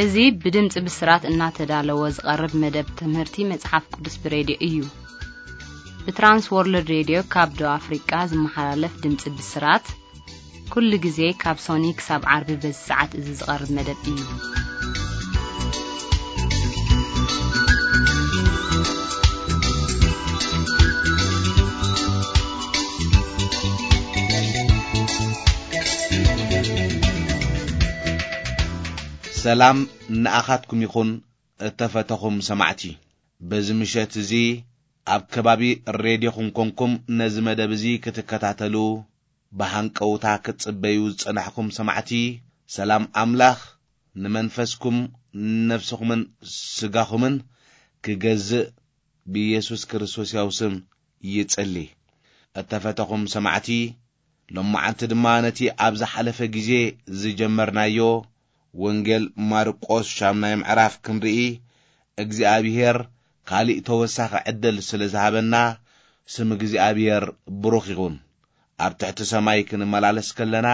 እዚ ብድምፂ ብስራት እናተዳለወ ዝቐርብ መደብ ትምህርቲ መጽሓፍ ቅዱስ ብሬድዮ እዩ። ብትራንስ ወርልድ ሬድዮ ካብ ደቡብ ኣፍሪቃ ዝመሓላለፍ ድምፂ ብስራት፣ ኩሉ ግዜ ካብ ሶኒ ክሳብ ዓርቢ በዚ ሰዓት እዚ ዝቐርብ መደብ እዩ። ሰላም ንኣኻትኩም ይኹን፣ እተፈተኹም ሰማዕቲ። በዚ ምሸት እዚ ኣብ ከባቢ ሬድዮኹም ኮንኩም ነዚ መደብ እዚ ክትከታተሉ ብሃንቀውታ ክትጽበዩ ዝጸናሕኩም ሰማዕቲ፣ ሰላም ኣምላኽ ንመንፈስኩም፣ ነፍስኹምን ስጋኹምን ክገዝእ ብኢየሱስ ክርስቶስ ያው ስም ይጽሊ። እተፈተኹም ሰማዕቲ፣ ሎማዓንቲ ድማ ነቲ ኣብ ዝሓለፈ ግዜ ዝጀመርናዮ ወንጌል ማርቆስ ሻምናይ ምዕራፍ ክንርኢ እግዚኣብሔር ካሊእ ተወሳኺ ዕድል ስለ ዝሃበና ስም እግዚኣብሔር ብሩኽ ይኹን። ኣብ ትሕቲ ሰማይ ክንመላለስ ከለና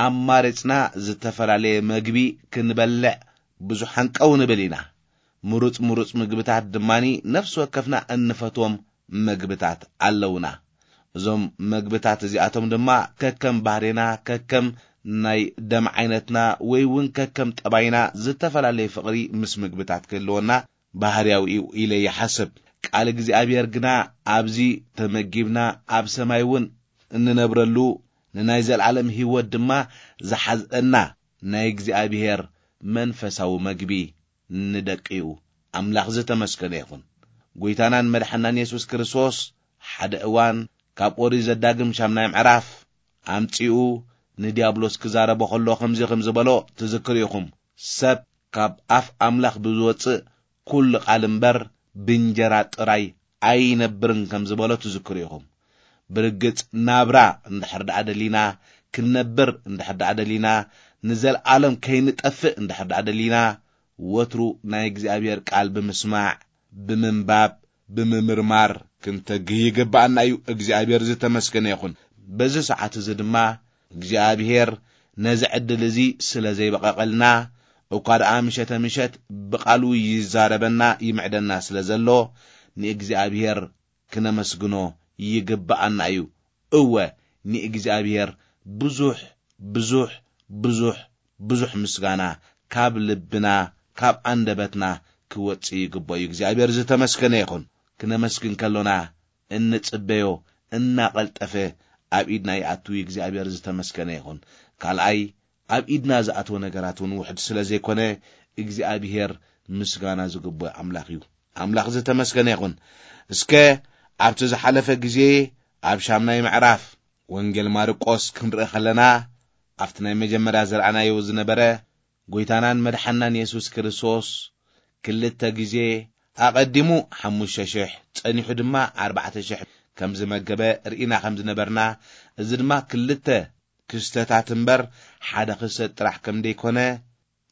ኣማሪጽና ዝተፈላለየ መግቢ ክንበልዕ ብዙሕ ሃንቀው ንብል ኢና። ምሩጽ ምሩጽ ምግብታት ድማኒ ነፍሲ ወከፍና እንፈትዎም መግብታት ኣለውና። እዞም መግብታት እዚኣቶም ድማ ከከም ባህሬና፣ ከከም ናይ ደም ዓይነትና ወይ እውን ከከም ጠባይና ዝተፈላለየ ፍቕሪ ምስ ምግብታት ክህልወና ባህርያዊ እዩ ኢለ ይሓስብ። ቃል እግዚኣብሔር ግና ኣብዚ ተመጊብና ኣብ ሰማይ እውን እንነብረሉ ንናይ ዘለዓለም ህይወት ድማ ዝሓዝአና ናይ እግዚኣብሔር መንፈሳዊ መግቢ ንደቂኡ ኣምላኽ ዝተመስገነ ይኹን። ጎይታናን መድሓናን የሱስ ክርስቶስ ሓደ እዋን ካብ ኦሪት ዘዳግም ሻምናይ ምዕራፍ ኣምጺኡ ንዲያብሎስ ክዛረቦ ከሎ ከምዚ ከም ዝበሎ ትዝክሩ ኢኹም። ሰብ ካብ ኣፍ ኣምላኽ ብዝወጽእ ኩሉ ቃል እምበር ብእንጀራ ጥራይ ኣይነብርን ከም ዝበሎ ትዝክሩ ኢኹም። ብርግጽ ናብራ እንድሕር ደኣ ደሊና፣ ክንነብር እንድሕር ደኣ ደሊና፣ ንዘለኣለም ከይንጠፍእ እንድሕር ደኣ ደሊና፣ ወትሩ ናይ እግዚኣብሔር ቃል ብምስማዕ፣ ብምንባብ፣ ብምምርማር ክንተግህ ይግብኣና እዩ። እግዚኣብሔር ዝተመስገነ ይኹን። በዚ ሰዓት እዚ ድማ እግዚኣብሔር ነዚ ዕድል እዚ ስለ ዘይበቐቐልና፣ እኳ ደኣ ምሸተ ምሸት ብቓሉ ይዛረበና ይምዕደና ስለ ዘሎ፣ ንእግዚኣብሔር ክነመስግኖ ይግብኣና እዩ። እወ፣ ንእግዚኣብሔር ብዙሕ፣ ብዙሕ፣ ብዙሕ፣ ብዙሕ ምስጋና ካብ ልብና፣ ካብ ኣንደበትና ክወጽእ ይግብኦ እዩ። እግዚኣብሔር ዝተመስገነ ይኹን። ክነመስግን ከሎና እንጽበዮ እናቐልጠፈ ኣብ ኢድና ይኣቱ። እግዚኣብሔር ዝተመስገነ ይኹን። ካልኣይ፣ ኣብ ኢድና ዝኣተወ ነገራት እውን ውሕድ ስለ ዘይኮነ፣ እግዚኣብሔር ምስጋና ዝግብኦ ኣምላኽ እዩ። ኣምላኽ ዝተመስገነ ይኹን። እስከ ኣብቲ ዝሓለፈ ግዜ ኣብ ሻምናይ ምዕራፍ ወንጌል ማርቆስ ክንርኢ ከለና፣ ኣብቲ ናይ መጀመርያ ዝረኣናዮ ዝነበረ፣ ጎይታናን መድሓናን የሱስ ክርስቶስ ክልተ ግዜ፣ ኣቐዲሙ ሓሙሽተ ሽሕ፣ ጸኒሑ ድማ ኣርባዕተ ሽሕ ከም ዝመገበ ርኢና ከም ዝነበርና፣ እዚ ድማ ክልተ ክስተታት እምበር ሓደ ክስተት ጥራሕ ከም ደይኮነ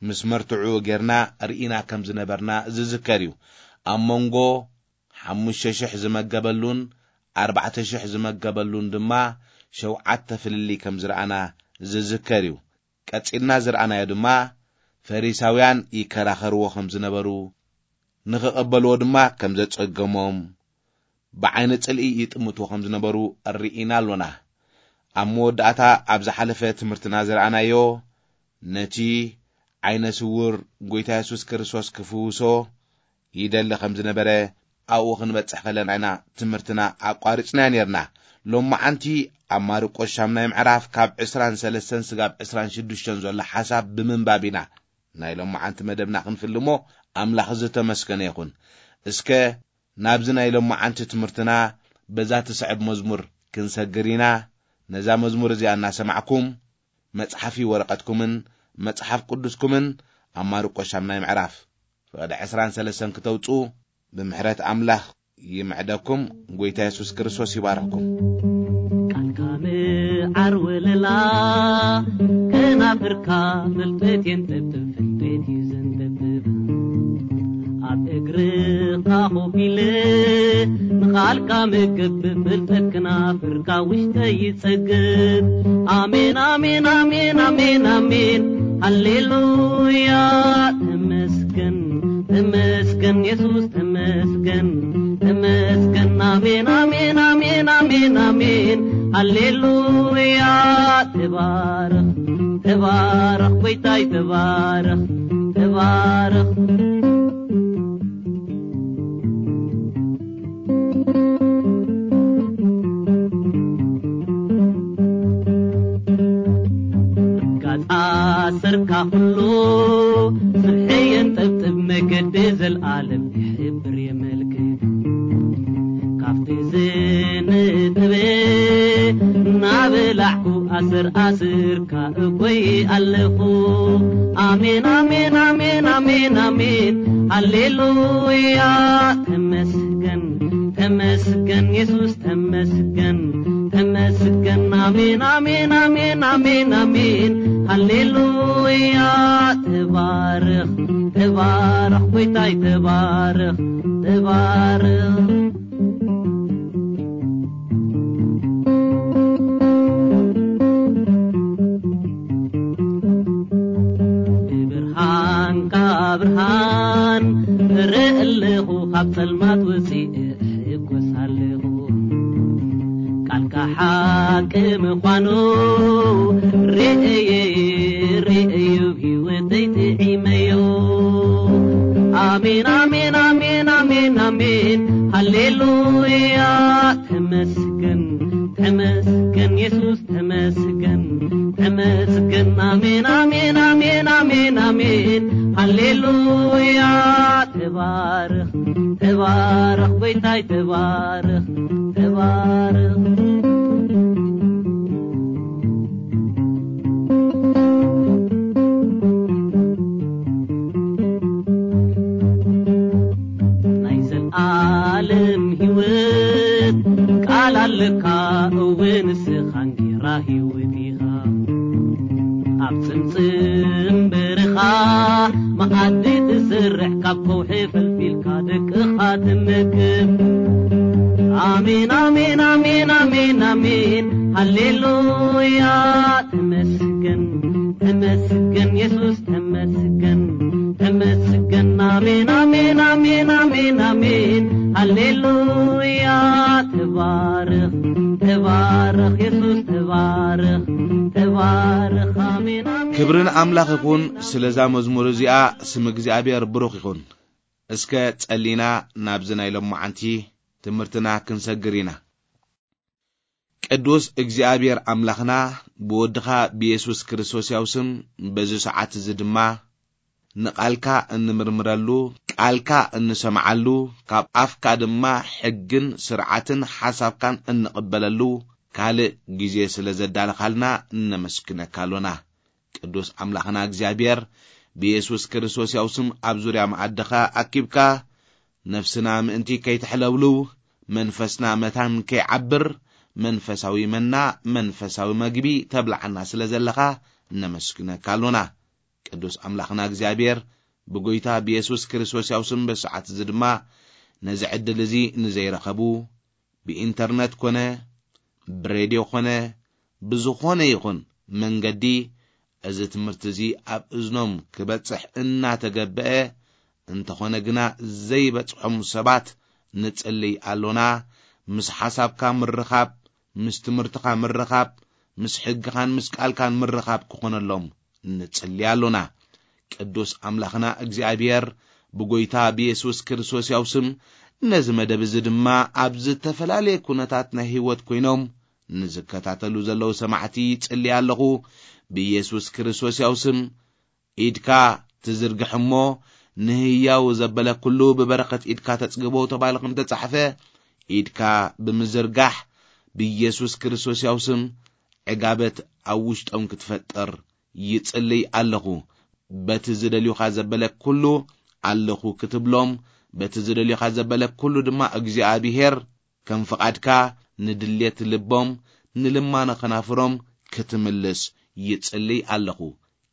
ምስ መርትዑ ጌርና ርኢና ከም ዝነበርና ዝዝከር እዩ። ኣብ መንጎ ሓሙሽተ ሽሕ ዝመገበሉን ኣርባዕተ ሽሕ ዝመገበሉን ድማ ሸውዓተ ፍልልይ ከም ዝረኣና ዝዝከር እዩ። ቀጺልና ዝረኣናዮ ድማ ፈሪሳውያን ይከራኸርዎ ከም ዝነበሩ፣ ንኽቐበልዎ ድማ ከም ዘጸገሞም፣ ብዓይኒ ጽልኢ ይጥምትዎ ከም ዝነበሩ ርኢና ኣሎና። ኣብ መወዳእታ ኣብ ዝሓለፈ ትምህርትና ዝረኣናዮ፣ ነቲ ዓይነ ስውር ጎይታ የሱስ ክርስቶስ ክፍውሶ ይደሊ ከም ዝነበረ ኣብኡ ክንበጽሕ ከለና ኢና ትምህርትና ኣቋሪጽናዮ ኔርና። ሎማዓንቲ ኣብ ማርቆስ ሻምናይ ምዕራፍ ካብ ዕስራን ሰለስተን ስጋብ ዕስራን ሽዱሽተን ዘሎ ሓሳብ ብምንባብ ኢና ናይ ሎማዓንቲ መደብና ክንፍልሞ። ኣምላኽ ዝተመስገነ ይኹን። እስከ ናብዚ ናይ ሎማዓንቲ ትምህርትና በዛ ትስዕብ መዝሙር ክንሰግር ኢና። ነዛ መዝሙር እዚኣ እናሰማዕኩም መጽሓፊ ወረቐትኩምን መጽሓፍ ቅዱስኩምን ኣብ ማርቆስ ሻምናይ ምዕራፍ ፍቕዲ ዕስራን ሰለስተን ክተውጽኡ ብምሕረት ኣምላኽ ይምዕደኩም። ጎይታ የሱስ ክርስቶስ ይባርኽኩም። ቃልካ ምዓር ወለላ፣ ከናፍርካ ፍልጠት የንጠብብ፣ ፍልጠት እዩ ዘንጠብብ። ኣብ እግርኻ ኮፍ ኢለ ንቓልካ ምገብብ፣ ፍልጠት ክናፍርካ ውሽጠይ ይጸግብ። ኣሜን፣ ኣሜን፣ ኣሜን፣ ኣሜን፣ ኣሜን። ሃሌሉያ ተመስገን፣ ተመስገን የሱስ ተመስገን፣ ተመስገን። ኣሜን፣ ኣሜን፣ ኣሜን፣ ኣሜን፣ ኣሜን። ሃሌሉያ ተባረኽ፣ ተባረኽ ጎይታይ ተባረኽ፣ ተባረኽ። ጋት ኣሰርካ ኩሉ ስርሐ የንጠብጥብ፣ መገዲ ዘልኣለም ይሕብር የመልክት። ካብቲ ዝንጥብ እናበላዕኩ ኣስር ኣስርካ እጎይ ኣለኹ። ኣሜን፣ ኣሜን፣ ኣሜን፣ ኣሜን፣ ኣሜን። ሃሌሉያ ተመስገን፣ ተመስገን የሱስ ተመስገን፣ ተመስገን። ኣሜን፣ ኣሜን፣ ኣሜን፣ ኣሜን፣ ኣሜን። ሃሌሉያ ተባረኽ፣ ተባረኽ ጎይታይ ተባረኽ፣ ተባረኽ። ብብርሃንካ ብርሃን እርኢ ኣለኹ፣ ካብ ጸልማት ወፂእ እሕጎስ ኣለኹ። ቃልካ ሓቂ ምዃኑ ርእየ፣ ርእየ፣ ህይወተይ ጥዒመዮ። ኣሜን፣ ኣሜን፣ ኣሜን፣ ኣሜን፣ ኣሜን። ሃሌሉያ ተመስገን፣ ተመስገን የሱስ ተመስገን፣ ተመስገን። ኣሜን፣ ኣሜን፣ ኣሜን፣ ኣሜን፣ ኣሜን። ሃሌሉያ ተባረኽ፣ ተባረኽ ጎይታይ ተባረኽ፣ ተባረኽ። ናይ ዘልኣለም ህይወት ቃል ኣለካ፣ እወ ንስኻ እንጌራ ህይወት ኢኻ። ኣብ ጽምጽም በረኻ መኣዲ ትሰርሕ፣ ካብ ከውሒ ፈልፊልካ ደቅኻ ትመግብ። ኣሜን፣ ኣሜን፣ ኣሜን፣ ኣሜን፣ ኣሜን። ሃሌሉያ ተመስገን፣ ተመስገን የሱስ ተመስገን፣ ተመስገን። ኣሜን፣ ኣሜን፣ ኣሜን፣ ኣሜን፣ ኣሜን። ሃሌሉያ ተባረኽ፣ ተባረኽ የሱስ ተባረኽ፣ ተባረኽ። ኣሜን፣ ኣሜን። ክብሪ ንኣምላኽ ይኹን። ስለዛ መዝሙር እዚኣ ስም እግዚኣብሔር ብሩኽ ይኹን። እስከ ጸሊና ናብዚ ናይ ሎማዓንቲ ትምህርትና ክንሰግር ኢና። ቅዱስ እግዚኣብሔር ኣምላኽና፣ ብወድኻ ብየሱስ ክርስቶስ ያው ስም በዚ ሰዓት እዚ ድማ ንቓልካ እንምርምረሉ፣ ቃልካ እንሰምዓሉ፣ ካብ ኣፍካ ድማ ሕግን ስርዓትን ሓሳብካን እንቕበለሉ ካልእ ግዜ ስለ ዘዳለኻልና እነመስግነካ ኣሎና። ቅዱስ ኣምላኽና እግዚኣብሔር፣ ብየሱስ ክርስቶስ ያው ስም ኣብ ዙርያ መኣድኻ ኣኪብካ፣ ነፍስና ምእንቲ ከይትሕለብልው፣ መንፈስና መታን ከይዓብር፣ መንፈሳዊ መና፣ መንፈሳዊ መግቢ ተብልዓና ስለ ዘለኻ ነመስግነካ ኣሎና። ቅዱስ ኣምላኽና እግዚኣብሔር፣ ብጎይታ ብየሱስ ክርስቶስ ያው ስም በሰዓት እዚ ድማ ነዚ ዕድል እዚ ንዘይረኸቡ፣ ብኢንተርነት ኮነ፣ ብሬድዮ ኮነ፣ ብዝኾነ ይኹን መንገዲ እዚ ትምህርቲ እዚ ኣብ እዝኖም ክበጽሕ እናተገበአ፣ እንተኾነ ግና ዘይበጽሖም ሰባት ንጽልይ ኣሎና። ምስ ሓሳብካ ምርኻብ፣ ምስ ትምህርትኻ ምርኻብ፣ ምስ ሕግኻን ምስ ቃልካን ምርኻብ ክኾነሎም ንጽሊ ኣሎና። ቅዱስ ኣምላኽና እግዚኣብሔር ብጎይታ ብየሱስ ክርስቶስ ያው ስም ነዚ መደብ እዚ ድማ ኣብ ዝተፈላለየ ኩነታት ናይ ህይወት ኮይኖም ንዝከታተሉ ዘለዉ ሰማዕቲ ይጽሊ ኣለኹ። ብየሱስ ክርስቶስ ያው ስም ኢድካ ትዝርግሕ እሞ ንህያው ዘበለ ኩሉ ብበረኸት ኢድካ ተጽግቦ ተባሂሉ ከም ተጻሕፈ ኢድካ ብምዝርጋሕ ብየሱስ ክርስቶስ ያው ስም ዕጋበት ኣብ ውሽጦም ክትፈጥር ይጽልይ ኣለኹ። በቲ ዝደልዩኻ ዘበለ ኩሉ ኣለኹ ክትብሎም፣ በቲ ዝደልዩኻ ዘበለ ኩሉ ድማ እግዚኣብሄር ከም ፍቓድካ ንድልየት ልቦም፣ ንልማኖ ከናፍሮም ክትምልስ ይጽልይ ኣለኹ።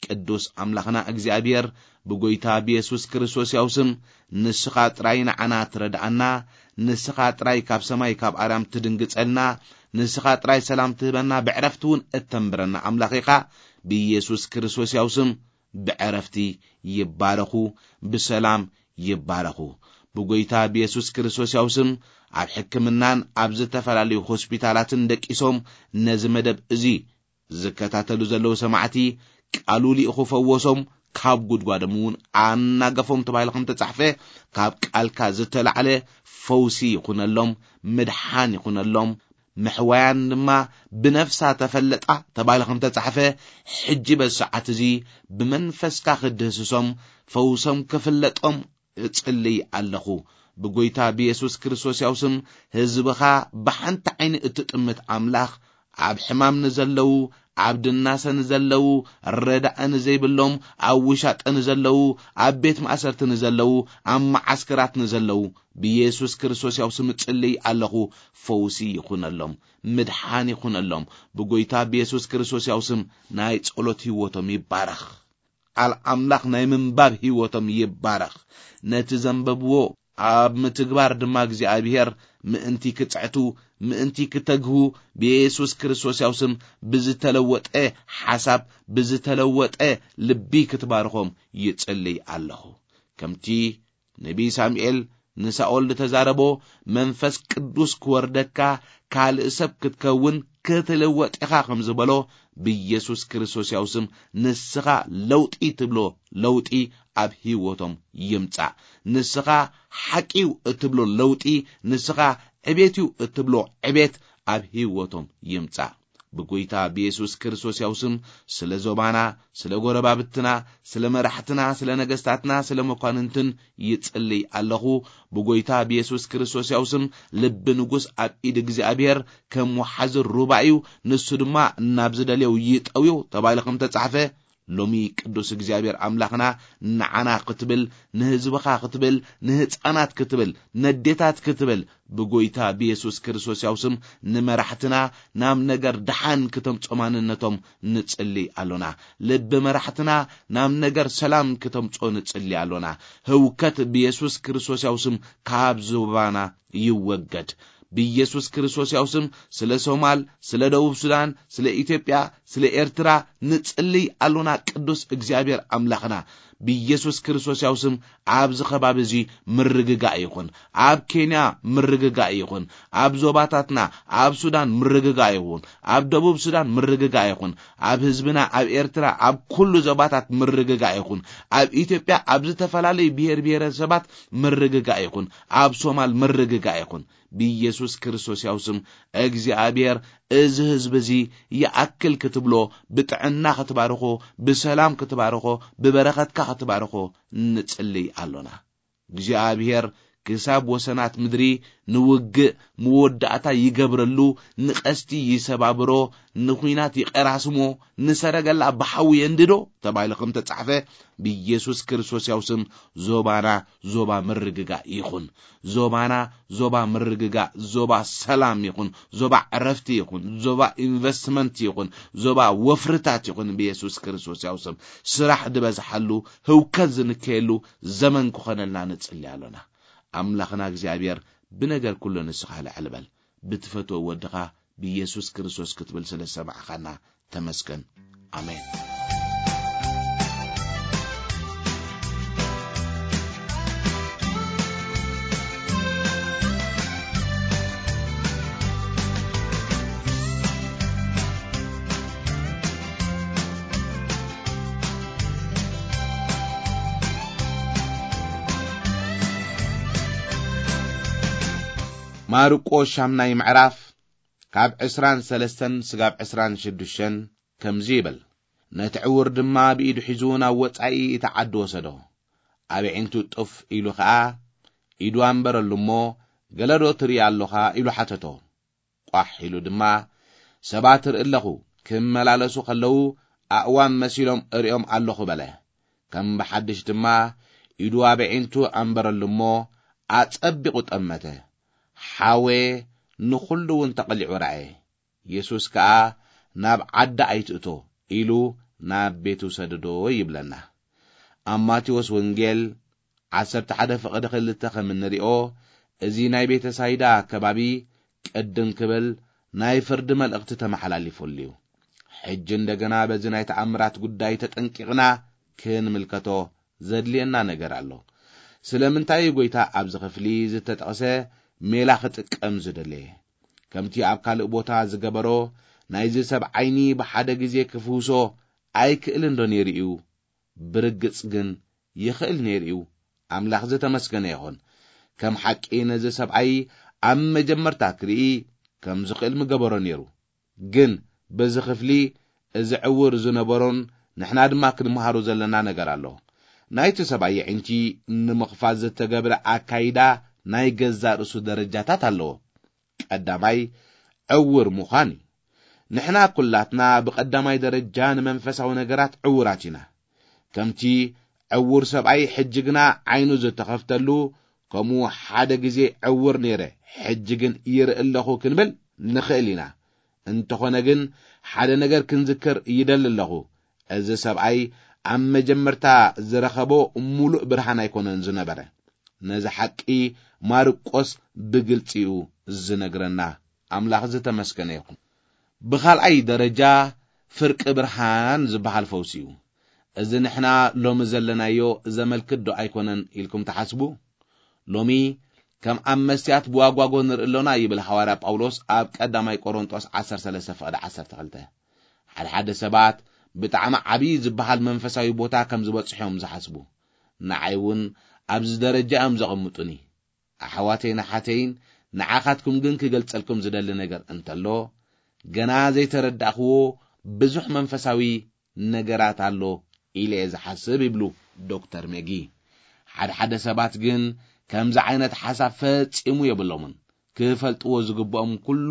ቅዱስ ኣምላኽና እግዚኣብሄር ብጎይታ ብየሱስ ክርስቶስ ያው ስም ንስኻ ጥራይ ንዓና ትረድኣና፣ ንስኻ ጥራይ ካብ ሰማይ ካብ ኣርያም ትድንግጸልና፣ ንስኻ ጥራይ ሰላም ትህበና፣ ብዕረፍቲ እውን እተንብረና ኣምላኽ ኢኻ። ብየሱስ ክርስቶስ ያው ስም ብዕረፍቲ ይባረኹ፣ ብሰላም ይባረኹ። ብጎይታ ብየሱስ ክርስቶስ ያው ስም ኣብ ሕክምናን ኣብ ዝተፈላለዩ ሆስፒታላትን ደቂሶም ነዚ መደብ እዚ ዝከታተሉ ዘለዉ ሰማዕቲ፣ ቃሉ ልኢኹ ፈወሶም፣ ካብ ጉድጓዶም እውን ኣናገፎም ተባሂሉ ከም ተጻሕፈ፣ ካብ ቃልካ ዝተላዕለ ፈውሲ ይኹነሎም፣ ምድሓን ይኹነሎም፣ ምሕዋያን ድማ ብነፍሳ ተፈለጣ ተባሂሉ ከም ተጻሕፈ፣ ሕጂ በዚ ሰዓት እዚ ብመንፈስካ ክድህስሶም፣ ፈውሶም ክፍለጦም እጽልይ ኣለኹ። ብጎይታ ብየሱስ ክርስቶስ ያው ስም ህዝብኻ ብሓንቲ ዓይኒ እትጥምት ኣምላኽ፣ ኣብ ሕማም ንዘለዉ፣ ኣብ ድናሰ ንዘለዉ፣ ረዳኢ ንዘይብሎም፣ ኣብ ውሻጠ ንዘለዉ፣ ኣብ ቤት ማእሰርቲ ንዘለዉ፣ ኣብ መዓስከራት ንዘለዉ፣ ብየሱስ ክርስቶስ ያው ስም እጽልይ ኣለኹ። ፈውሲ ይኹነሎም፣ ምድሓን ይኹነሎም። ብጎይታ ብየሱስ ክርስቶስ ያው ስም ናይ ጸሎት ህይወቶም ይባረኽ። ቃል ኣምላኽ ናይ ምንባብ ህይወቶም ይባረኽ። ነቲ ዘንበብዎ ኣብ ምትግባር ድማ እግዚኣብሔር ምእንቲ ክጽዕቱ፣ ምእንቲ ክተግሁ፣ ብየሱስ ክርስቶስ ያው ስም ብዝተለወጠ ሓሳብ፣ ብዝተለወጠ ልቢ ክትባርኾም ይጽልይ ኣለኹ። ከምቲ ነቢይ ሳሙኤል ንሳኦል ዝተዛረቦ፣ መንፈስ ቅዱስ ክወርደካ፣ ካልእ ሰብ ክትከውን፣ ክትልወጥ ኢኻ ከም ዝበሎ፣ ብየሱስ ክርስቶስ ያው ስም ንስኻ ለውጢ ትብሎ ለውጢ ኣብ ህይወቶም ይምጻእ። ንስኻ ሓቂው እትብሎ ለውጢ፣ ንስኻ ዕቤትዩ እትብሎ ዕቤት ኣብ ህይወቶም ይምጻእ። ብጎይታ ብየሱስ ክርስቶስ ያው ስም ስለ ዞባና፣ ስለ ጎረባብትና፣ ስለ መራሕትና፣ ስለ ነገስታትና፣ ስለ መኳንንትን ይጽልይ ኣለኹ። ብጎይታ ብየሱስ ክርስቶስ ያው ስም ልቢ ንጉስ ኣብ ኢድ እግዚኣብሔር ከም ወሓዚ ሩባ እዩ፣ ንሱ ድማ ናብ ዝደልዮ ይጠውዮ ተባሂሉ ከም ተጻሕፈ፣ ሎሚ ቅዱስ እግዚኣብሔር ኣምላኽና ንዓና ክትብል፣ ንህዝብኻ ክትብል፣ ንህፃናት ክትብል፣ ነዴታት ክትብል፣ ብጎይታ ብየሱስ ክርስቶስ ያው ስም ንመራሕትና ናብ ነገር ደሓን ክተምጾ ማንነቶም ንጽሊ ኣሎና። ልቢ መራሕትና ናብ ነገር ሰላም ክተምጾ ንጽሊ ኣሎና። ህውከት ብየሱስ ክርስቶስ ያው ስም ካብ ዞባና ይወገድ። ብየሱስ ክርስቶስ ያው ስም ስለ ሶማል፣ ስለ ደቡብ ሱዳን፣ ስለ ኢትዮጵያ፣ ስለ ኤርትራ ንጽልይ ኣሎና። ቅዱስ እግዚኣብሔር ኣምላኽና፣ ብየሱስ ክርስቶስ ያው ስም ኣብዚ ከባቢ እዚ ምርግጋእ ይኹን፣ ኣብ ኬንያ ምርግጋእ ይኹን፣ ኣብ ዞባታትና፣ ኣብ ሱዳን ምርግጋእ ይኹን፣ ኣብ ደቡብ ሱዳን ምርግጋእ ይኹን፣ ኣብ ህዝብና ኣብ ኤርትራ ኣብ ኩሉ ዞባታት ምርግጋእ ይኹን፣ ኣብ ኢትዮጵያ ኣብ ዝተፈላለዩ ብሔር ብሔረሰባት ምርግጋእ ይኹን፣ ኣብ ሶማል ምርግጋእ ይኹን። ብኢየሱስ ክርስቶስ ያው ስም እግዚኣብሔር እዚ ህዝቢ እዚ ይኣክል ክትብሎ፣ ብጥዕና ክትባርኾ፣ ብሰላም ክትባርኾ፣ ብበረኸትካ ክትባርኾ ንጽልይ ኣሎና። እግዚኣብሔር ክሳብ ወሰናት ምድሪ ንውግእ መወዳእታ ይገብረሉ፣ ንቐስቲ ይሰባብሮ፣ ንኹናት ይቐራስሞ፣ ንሰረገላ ብሓዊ የንድዶ ተባሂሉ ከም ተጻሕፈ፣ ብኢየሱስ ክርስቶስ ያው ስም ዞባና ዞባ ምርግጋእ ይኹን። ዞባና ዞባ ምርግጋእ፣ ዞባ ሰላም ይኹን፣ ዞባ ዕረፍቲ ይኹን፣ ዞባ ኢንቨስትመንት ይኹን፣ ዞባ ወፍርታት ይኹን። ብኢየሱስ ክርስቶስ ያው ስም ስራሕ ዝበዝሓሉ፣ ህውከት ዝንከየሉ ዘመን ክኾነልና ንጽሊ ኣሎና። ኣምላኽና እግዚኣብሔር ብነገር ኩሉ ንስኻ ልዕል በል። ብትፈትዎ ወድኻ ብኢየሱስ ክርስቶስ ክትብል ስለ ዝሰማዕኻና ተመስገን። ኣሜን። ማርቆስ ሻምናይ ምዕራፍ ካብ ዕስራን ሰለስተን ስጋብ ዕስራን ሽዱሽተን ከምዚ ይብል። ነቲ ዕውር ድማ ብኢዱ ሒዙ ናብ ወጻኢ እቲ ዓዲ ወሰዶ። ኣብ ኣዒንቱ ጥፍ ኢሉ ኸኣ፣ "ኢዱ ኣንበረሉ እሞ፣ ገለዶ ትርኢ ኣሎኻ?" ኢሉ ሓተቶ። ቋሕ ኢሉ ድማ፣ "ሰባት እርኢ ኣለኹ፣ ክመላለሱ ኸለዉ ኣእዋም መሲሎም እሪኦም ኣለኹ" በለ። ከም ብሓድሽ ድማ ኢዱ ኣብ ኣዒንቱ ኣንበረሉ እሞ፣ ኣጸቢቑ ጠመተ። ሓወየ ንኹሉ እውን ተቐሊዑ ረኣየ። የሱስ ከኣ፣ "ናብ ዓዲ ኣይትእቶ" ኢሉ ናብ ቤቱ ሰደዶ ይብለና። ኣብ ማቴዎስ ወንጌል ዓሰርተ ሓደ ፍቕዲ ክልተ ከም እንሪኦ፣ እዚ ናይ ቤተ ሳይዳ ከባቢ ቅድም ክብል ናይ ፍርዲ መልእኽቲ ተመሓላሊፉሉ እዩ። ሕጂ እንደገና በዚ ናይ ተኣምራት ጉዳይ ተጠንቂቕና ክንምልከቶ ዘድልየና ነገር ኣሎ። ስለምንታይ እዩ ጐይታ ኣብዚ ክፍሊ ዝተጠቕሰ ሜላ ክጥቀም ዝደለየ? ከምቲ ኣብ ካልእ ቦታ ዝገበሮ፣ ናይዚ ሰብ ዓይኒ ብሓደ ግዜ ክፍውሶ ኣይክእልን ዶ ነይሩ እዩ? ብርግጽ ግን ይኽእል ነይሩ እዩ። ኣምላኽ ዝተመስገነ ይኹን። ከም ሓቂ ነዚ ሰብኣይ ኣብ መጀመርታ ክርኢ ከም ዝኽእል ምገበሮ ነይሩ። ግን በዚ ክፍሊ እዚ ዕውር ዝነበሮን ንሕና ድማ ክንምሃሮ ዘለና ነገር ኣሎ። ናይቲ ሰብኣይ ኣዒንቲ ንምኽፋት ዝተገብረ ኣካይዳ ናይ ገዛእ ርእሱ ደረጃታት ኣለዎ። ቀዳማይ፣ ዕውር ምዃን እዩ። ንሕና ኩላትና ብቐዳማይ ደረጃ ንመንፈሳዊ ነገራት ዕውራት ኢና። ከምቲ ዕውር ሰብኣይ ሕጂ ግና ዓይኑ ዝተኸፍተሉ፣ ከምኡ ሓደ ግዜ ዕውር ነይረ፣ ሕጂ ግን ይርኢ ኣለኹ ክንብል ንኽእል ኢና። እንተኾነ ግን ሓደ ነገር ክንዝክር ይደሊ ኣለኹ። እዚ ሰብኣይ ኣብ መጀመርታ ዝረኸቦ ሙሉእ ብርሃን ኣይኮነን ዝነበረ። ነዚ ሓቂ ማርቆስ ብግልጺ እዩ ዝነግረና። ኣምላኽ ዝተመስገነ ይኹን። ብኻልኣይ ደረጃ ፍርቂ ብርሃን ዝበሃል ፈውሲ እዩ። እዚ ንሕና ሎሚ ዘለናዮ ዘመልክት ዶ ኣይኮነን ኢልኩም ትሓስቡ? ሎሚ ከም ኣብ መስትያት ብዋጓጎ ንርኢ ኣሎና ይብል ሃዋርያ ጳውሎስ ኣብ ቀዳማይ ቆሮንጦስ ዓሰርተ ሰለስተ ፍቕዲ ዓሰርተ ክልተ። ሓደ ሓደ ሰባት ብጣዕሚ ዓብዪ ዝበሃል መንፈሳዊ ቦታ ከም ዝበጽሑ እዮም ዝሓስቡ። ንዓይ እውን ኣብዚ ደረጃ እዮም ዘቐምጡኒ። ኣሕዋተይን ኣሓተይን፣ ንዓኻትኩም ግን ክገልጸልኩም ዝደሊ ነገር እንተሎ፣ ገና ዘይተረዳእኽዎ ብዙሕ መንፈሳዊ ነገራት ኣሎ ኢለ እየ ዝሓስብ ይብሉ ዶክተር ሜጊ። ሓደ ሓደ ሰባት ግን ከምዚ ዓይነት ሓሳብ ፈጺሙ የብሎምን። ክፈልጥዎ ዝግብኦም ኩሉ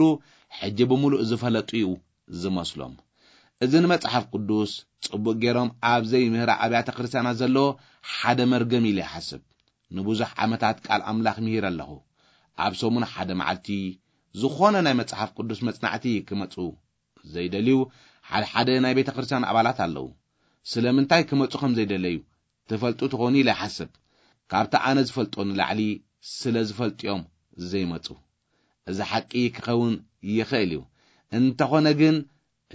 ሕጂ ብምሉእ ዝፈለጡ እዩ ዝመስሎም። እዚ ንመጽሓፍ ቅዱስ ጽቡቕ ገይሮም ኣብ ዘይምህራ ኣብያተ ክርስቲያናት ዘሎ ሓደ መርገም ኢለ ይሓስብ። ንብዙሕ ዓመታት ቃል ኣምላኽ ምሂረ ኣለኹ። ኣብ ሰሙን ሓደ መዓልቲ ዝኾነ ናይ መጽሓፍ ቅዱስ መጽናዕቲ ክመጹ ዘይደልዩ ሓደ ሓደ ናይ ቤተ ክርስቲያን ኣባላት ኣለዉ። ስለምንታይ ክመጹ ከም ዘይደለዩ ትፈልጡ ትኾኑ ኢለ ይሓስብ። ካብቲ ኣነ ዝፈልጦ ንላዕሊ ስለ ዝፈልጡ እዮም ዘይመጹ። እዚ ሓቂ ክኸውን ይኽእል እዩ። እንተኾነ ግን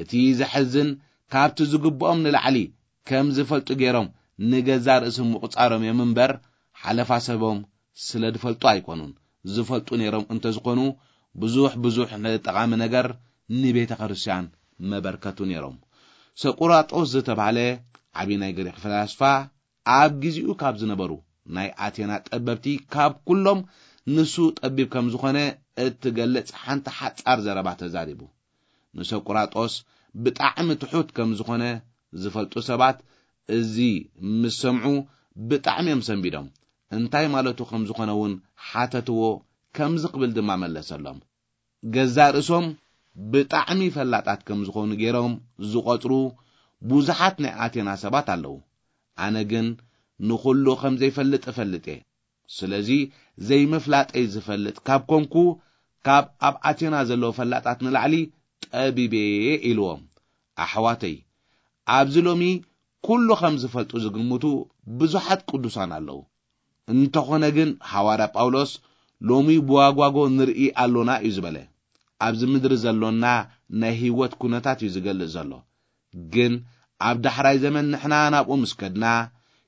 እቲ ዘሕዝን፣ ካብቲ ዝግብኦም ንላዕሊ ከም ዝፈልጡ ገይሮም ንገዛእ ርእሶም ምቑጻሮም እዮም እምበር፣ ሓለፋ ሰቦም ስለ ዝፈልጡ ኣይኮኑን። ዝፈልጡ ነይሮም እንተዝኾኑ፣ ብዙሕ ብዙሕ ጠቓሚ ነገር ንቤተ ክርስቲያን መበርከቱ ነይሮም። ሰቁራጦስ ዝተባህለ ዓቢ ናይ ግሪኽ ፈላስፋ፣ ኣብ ግዜኡ ካብ ዝነበሩ ናይ ኣቴና ጠበብቲ፣ ካብ ኩሎም ንሱ ጠቢብ ከም ዝኾነ እትገልጽ ሓንቲ ሓጻር ዘረባ ተዛሪቡ። ንሰቁራጦስ ብጣዕሚ ትሑት ከም ዝኾነ ዝፈልጡ ሰባት፣ እዚ ምስ ሰምዑ ብጣዕሚ እዮም ሰንቢዶም። እንታይ ማለቱ ከም ዝኾነ እውን ሓተትዎ፣ ከምዚ ክብል ድማ መለሰሎም። ገዛእ ርእሶም ብጣዕሚ ፈላጣት ከም ዝኾኑ ገይሮም ዝቖጽሩ ብዙሓት ናይ ኣቴና ሰባት ኣለዉ። ኣነ ግን ንኹሉ ከም ዘይፈልጥ እፈልጥ እየ። ስለዚ ዘይምፍላጠይ ዝፈልጥ ካብ ኮንኩ፣ ካብ ኣብ ኣቴና ዘለዉ ፈላጣት ንላዕሊ ጠቢብ እየ ኢልዎም። ኣሕዋተይ፣ ኣብዚ ሎሚ ኩሉ ከም ዝፈልጡ ዝግምቱ ብዙሓት ቅዱሳን ኣለዉ። እንተኾነ ግን ሃዋርያ ጳውሎስ ሎሚ ብዋጓጎ ንርኢ ኣሎና እዩ ዝበለ። ኣብዚ ምድሪ ዘሎና ናይ ህይወት ኩነታት እዩ ዝገልጽ ዘሎ። ግን ኣብ ዳሕራይ ዘመን ንሕና ናብኡ ምስ ከድና፣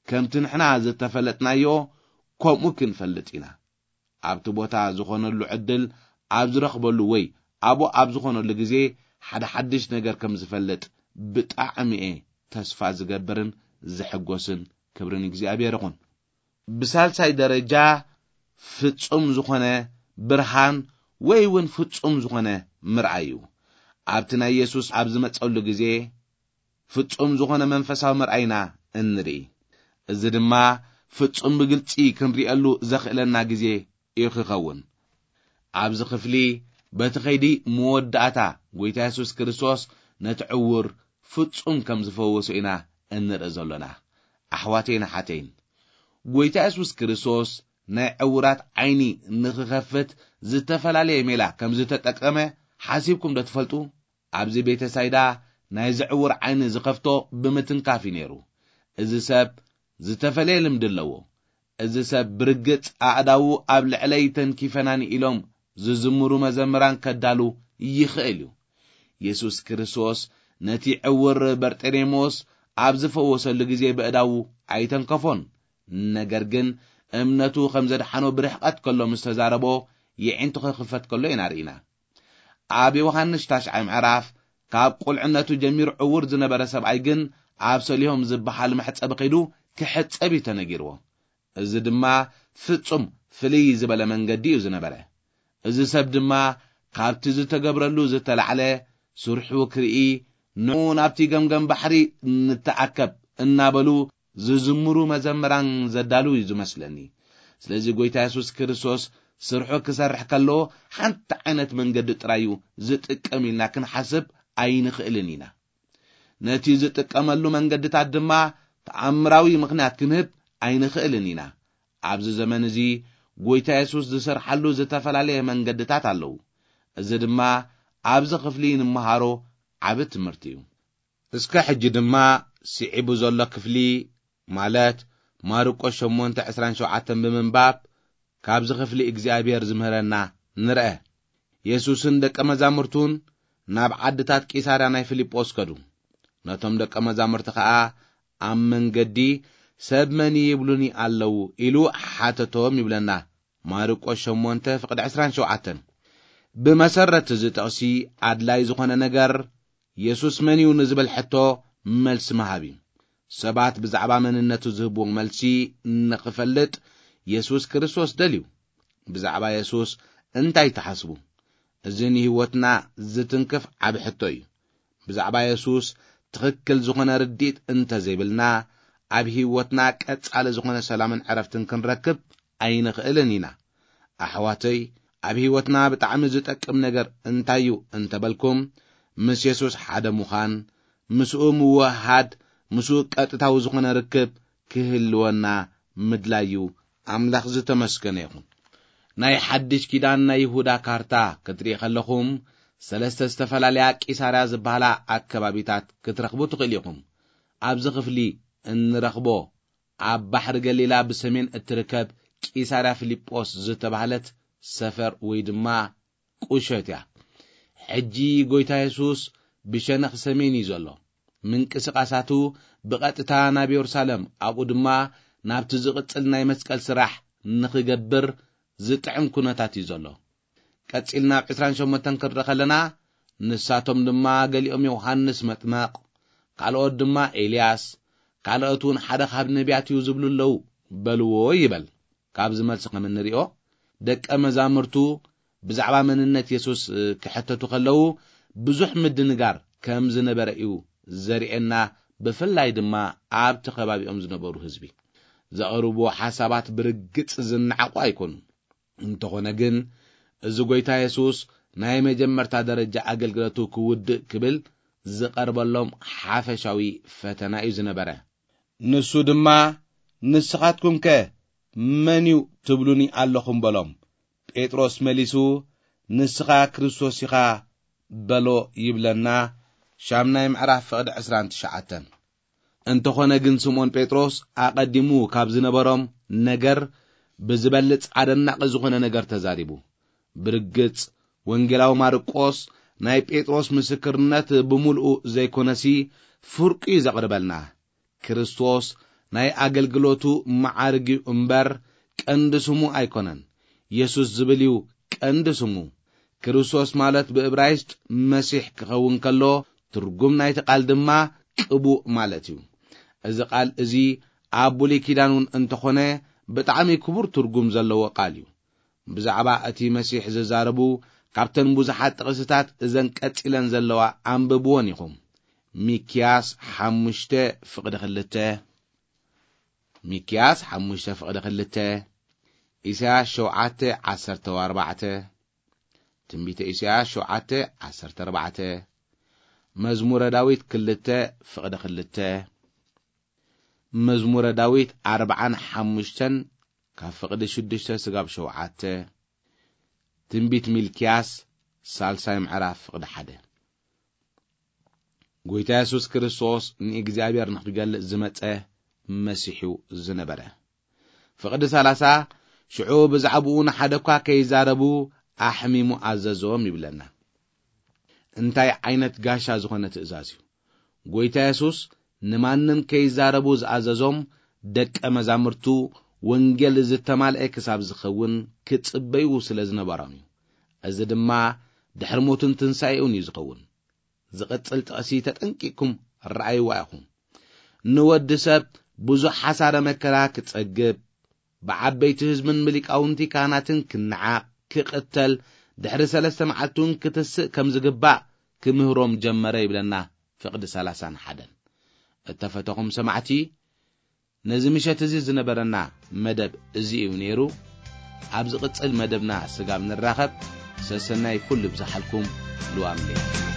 ከምቲ ንሕና ዝተፈለጥናዮ ከምኡ ክንፈልጥ ኢና። ኣብቲ ቦታ ዝኾነሉ ዕድል ኣብ ዝረኽበሉ ወይ ኣብኡ ኣብ ዝኾነሉ ግዜ ሓደ ሓድሽ ነገር ከም ዝፈልጥ ብጣዕሚ እየ ተስፋ ዝገብርን ዝሕጎስን። ክብሪ ንእግዚኣብሔር ይኹን። ብሳልሳይ ደረጃ ፍጹም ዝኾነ ብርሃን ወይ እውን ፍጹም ዝኾነ ምርኣይ እዩ። ኣብቲ ናይ የሱስ ኣብ ዝመጸሉ ግዜ ፍጹም ዝኾነ መንፈሳዊ ምርኣይና እንርኢ። እዚ ድማ ፍጹም ብግልጺ ክንርእየሉ ዘኽእለና ግዜ እዩ ክኸውን። ኣብዚ ክፍሊ በቲ ኸይዲ መወዳእታ ጐይታ የሱስ ክርስቶስ ነቲ ዕዉር ፍጹም ከም ዝፈወሶ ኢና እንርኢ ዘሎና። ኣሕዋተይን ኣሓተይን፣ ጐይታ የሱስ ክርስቶስ ናይ ዕዉራት ዓይኒ ንኽኸፍት ዝተፈላለየ ሜላ ከም ዝተጠቀመ ሓሲብኩም ዶ ትፈልጡ? ኣብዚ ቤተ ሳይዳ ናይዚ ዕዉር ዓይኒ ዝኸፍቶ ብምትንካፍ እዩ ነይሩ። እዚ ሰብ ዝተፈለየ ልምዲ ኣለዎ። እዚ ሰብ ብርግጽ ኣእዳዉ ኣብ ልዕለይ ተንኪፈናኒ ኢሎም ዝዝምሩ መዘምራን ከዳሉ ይኽእል እዩ። የሱስ ክርስቶስ ነቲ ዕውር በርጤሌሞስ ኣብ ዝፈወሰሉ ግዜ በእዳዉ ኣይተንከፎን። ነገር ግን እምነቱ ከም ዘድሓኖ ብርሕቐት ከሎ ምስ ተዛረቦ፣ የዒንቱ ክኽፈት ከሎ ኢና ርኢና። ኣብ ዮሃንስ ታሽዓይ ምዕራፍ፣ ካብ ቁልዕነቱ ጀሚሩ ዕውር ዝነበረ ሰብኣይ ግን ኣብ ሰሊሆም ዝበሃል መሕጸቢ ከይዱ ክሕጸብ እዩ ተነጊርዎ። እዚ ድማ ፍጹም ፍልይ ዝበለ መንገዲ እዩ ዝነበረ። እዚ ሰብ ድማ ካብቲ ዝተገብረሉ ዝተላዕለ ስርሑ ክርኢ፣ ንዑ ናብቲ ገምገም ባሕሪ ንተኣከብ እናበሉ ዝዝምሩ መዘምራን ዘዳሉ እዩ ዝመስለኒ። ስለዚ ጎይታ የሱስ ክርስቶስ ስርሑ ክሰርሕ ከሎ ሓንቲ ዓይነት መንገዲ ጥራይ እዩ ዝጥቀም ኢልና ክንሓስብ ኣይንኽእልን ኢና። ነቲ ዝጥቀመሉ መንገድታት ድማ ተኣምራዊ ምኽንያት ክንህብ ኣይንኽእልን ኢና። ኣብዚ ዘመን እዚ ጎይታ የሱስ ዝሰርሓሉ ዝተፈላለየ መንገድታት ኣለዉ። እዚ ድማ ኣብዚ ክፍሊ ንምሃሮ ዓቢ ትምህርቲ እዩ። እስከ ሕጂ ድማ ስዒቡ ዘሎ ክፍሊ፣ ማለት ማርቆስ ሸሞንተ ዕስራን ሸውዓተን ብምንባብ ካብዚ ክፍሊ እግዚኣብሔር ዝምህረና ንርአ። የሱስን ደቀ መዛሙርቱን ናብ ዓድታት ቂሳርያ ናይ ፊልጶስ ከዱ። ነቶም ደቀ መዛሙርቲ ኸኣ ኣብ መንገዲ፣ "ሰብ መን ይብሉኒ ኣለዉ?" ኢሉ ሓተቶም ይብለና ማርቆስ ሸሞንተ ፍቕዲ ዕስራን ሸውዓተን። ብመሰረት እዚ ጥቕሲ ኣድላይ ዝኾነ ነገር የሱስ መን እዩ ንዝብል ሕቶ መልሲ ምሃብ እዩ። ሰባት ብዛዕባ መንነቱ ዝህብዎ መልሲ ንኽፈልጥ የሱስ ክርስቶስ ደልዩ። ብዛዕባ የሱስ እንታይ ትሓስቡ? እዚ ንህይወትና ዝትንክፍ ዓቢ ሕቶ እዩ። ብዛዕባ የሱስ ትኽክል ዝኾነ ርድኢት እንተ ዘይብልና፣ ኣብ ህይወትና ቀጻሊ ዝኾነ ሰላምን ዕረፍትን ክንረክብ ኣይንኽእልን ኢና። ኣሕዋተይ፣ ኣብ ህይወትና ብጣዕሚ ዝጠቅም ነገር እንታይ እዩ እንተበልኩም፣ ምስ የሱስ ሓደ ምዃን፣ ምስኡ ምውህሃድ፣ ምስኡ ቀጥታዊ ዝኾነ ርክብ ክህልወና ምድላይ እዩ። ኣምላኽ ዝተመስገነ ይኹን። ናይ ሓድሽ ኪዳን ናይ ይሁዳ ካርታ ክትርኢ ከለኹም፣ ሰለስተ ዝተፈላለያ ቂሳርያ ዝበሃላ ኣከባቢታት ክትረኽቡ ትኽእሉ ኢኹም። ኣብዚ ክፍሊ እንረኽቦ፣ ኣብ ባሕሪ ገሊላ ብሰሜን እትርከብ ቂሳርያ ፊልጶስ ዝተባህለት ሰፈር ወይ ድማ ቁሸት እያ። ሕጂ ጎይታ የሱስ ብሸነኽ ሰሜን እዩ ዘሎ። ምንቅስቓሳቱ ብቐጥታ ናብ የሩሳሌም፣ ኣብኡ ድማ ናብቲ ዝቕጽል ናይ መስቀል ስራሕ ንኽገብር ዝጥዕም ኩነታት እዩ ዘሎ። ቀጺልና ኣብ ዕስራን ሸሞንተን ክንርኢ ከለና፣ ንሳቶም ድማ ገሊኦም ዮሃንስ መጥመቕ፣ ካልኦት ድማ ኤልያስ፣ ካልኦት እውን ሓደ ካብ ነቢያት እዩ ዝብሉ ኣለዉ በልዎ ይበል። ካብዚ መልሲ ከም እንሪኦ፣ ደቀ መዛሙርቱ ብዛዕባ መንነት የሱስ ክሕተቱ ከለዉ፣ ብዙሕ ምድንጋር ከም ዝነበረ እዩ ዘርእየና፣ ብፍላይ ድማ ኣብቲ ከባቢኦም ዝነበሩ ህዝቢ። ዘቕርብዎ ሓሳባት ብርግጽ ዝነዓቑ ኣይኮኑን። እንተኾነ ግን፣ እዚ ጐይታ የሱስ ናይ መጀመርታ ደረጃ ኣገልግሎቱ ክውድእ ክብል ዝቐርበሎም ሓፈሻዊ ፈተና እዩ ዝነበረ። ንሱ ድማ፣ "ንስኻትኩምከ መን እዩ ትብሉኒ ኣለኹም?" በሎም። ጴጥሮስ መሊሱ፣ "ንስኻ ክርስቶስ ኢኻ" በሎ ይብለና። ሻምናይ ምዕራፍ ፍቕዲ ዕስራን ትሽዓተን። እንተኾነ ግን ስምዖን ጴጥሮስ ኣቐዲሙ ካብ ዝነበሮም ነገር ብዝበልጽ ኣደናቒ ዝኾነ ነገር ተዛሪቡ። ብርግጽ ወንጌላዊ ማርቆስ ናይ ጴጥሮስ ምስክርነት ብምሉኡ ዘይኮነሲ ፍርቁ እዩ ዘቕርበልና። ክርስቶስ ናይ ኣገልግሎቱ መዓርግ እዩ እምበር ቀንዲ ስሙ ኣይኮነን። የሱስ ዝብል እዩ ቀንዲ ስሙ። ክርስቶስ ማለት ብእብራይስጥ መሲሕ ክኸውን ከሎ፣ ትርጉም ናይቲ ቃል ድማ ቅቡእ ማለት እዩ። እዚ ቃል እዚ ኣብ ብሉይ ኪዳን እውን እንተኾነ ብጣዕሚ ክቡር ትርጉም ዘለዎ ቃል እዩ። ብዛዕባ እቲ መሲሕ ዝዛረቡ ካብተን ብዙሓት ጥቕስታት እዘን ቀጺለን ዘለዋ ኣንብብወን ኢኹም። ሚክያስ ሓሙሽተ ፍቕዲ ክልተ፣ ሚክያስ ሓሙሽተ ፍቕዲ ክልተ፣ ኢሳያስ ሸውዓተ ዓሰርተ ኣርባዕተ፣ ትንቢተ ኢሳያስ ሸውዓተ ዓሰርተ ኣርባዕተ፣ መዝሙረ ዳዊት ክልተ ፍቕዲ ክልተ፣ መዝሙረ ዳዊት ኣርብዓን ሓሙሽተን ካብ ፍቕዲ ሽዱሽተ ስጋብ ሸውዓተ፣ ትንቢት ሚልክያስ ሳልሳይ ምዕራፍ ፍቕዲ ሓደ። ጐይታ የሱስ ክርስቶስ ንእግዚኣብሔር ንኽገልጽ ዝመጸ መሲሕ እዩ ዝነበረ። ፍቕዲ ሰላሳ፣ ሽዑ ብዛዕባኡ ንሓደ እኳ ከይዛረቡ ኣሕሚሙ ኣዘዞም ይብለና። እንታይ ዓይነት ጋሻ ዝኾነ ትእዛዝ እዩ! ጐይታ የሱስ ንማንም ከይዛረቡ ዝኣዘዞም ደቀ መዛሙርቱ፣ ወንጌል ዝተማልአ ክሳብ ዝኸውን ክጽበዩ ስለ ዝነበሮም እዩ። እዚ ድማ ድሕሪ ሞቱን ትንሳኤኡን እዩ ዝኸውን። ዝቕጽል ጥቕሲ ተጠንቂቕኩም ረኣይዋ ኢኹም። ንወዲ ሰብ ብዙሕ ሓሳረ መከራ ክጸግብ፣ ብዓበይቲ ህዝብን ብሊቃውንቲ ካህናትን ክነዓቕ፣ ክቕተል፣ ድሕሪ ሰለስተ መዓልቲ እውን ክትስእ ከም ዝግባእ ክምህሮም ጀመረ ይብለና ፍቕዲ ሰላሳን ሓደን። እተፈተኹም ሰማዕቲ፣ ነዚ ምሸት እዚ ዝነበረና መደብ እዚ እዩ ነይሩ። ኣብ ዝቕጽል መደብና ስጋብ ንራኸብ፣ ሰሰናይ ኩሉ ይብዝሓልኩም። ልዋም ለይቲ።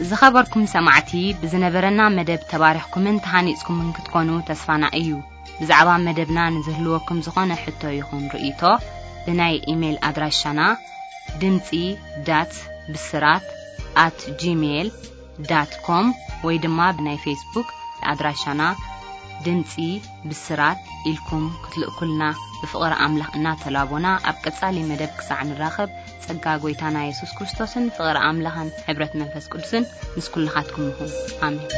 ዝኸበርኩም ሰማዕቲ፣ ብዝነበረና መደብ ተባሪኽኩምን ተሃኒጽኩምን ክትኮኑ ተስፋና እዩ። ብዛዕባ መደብና ንዝህልወኩም ዝኾነ ሕቶ ይኹን ርእይቶ፣ ብናይ ኢሜይል ኣድራሻና ድምጺ ዳት ብስራት ኣት ጂሜይል ዳት ኮም ወይ ድማ ብናይ ፌስቡክ ኣድራሻና ድምጺ ብስራት ኢልኩም ክትልእኩልና ብፍቕሪ ኣምላኽ እናተላቦና፣ ኣብ ቀጻሊ መደብ ክሳዕ ንራኸብ፣ ጸጋ ጐይታና የሱስ ክርስቶስን ፍቕሪ ኣምላኽን ሕብረት መንፈስ ቅዱስን ምስ ኩልኻትኩም ይኹን። ኣሜን።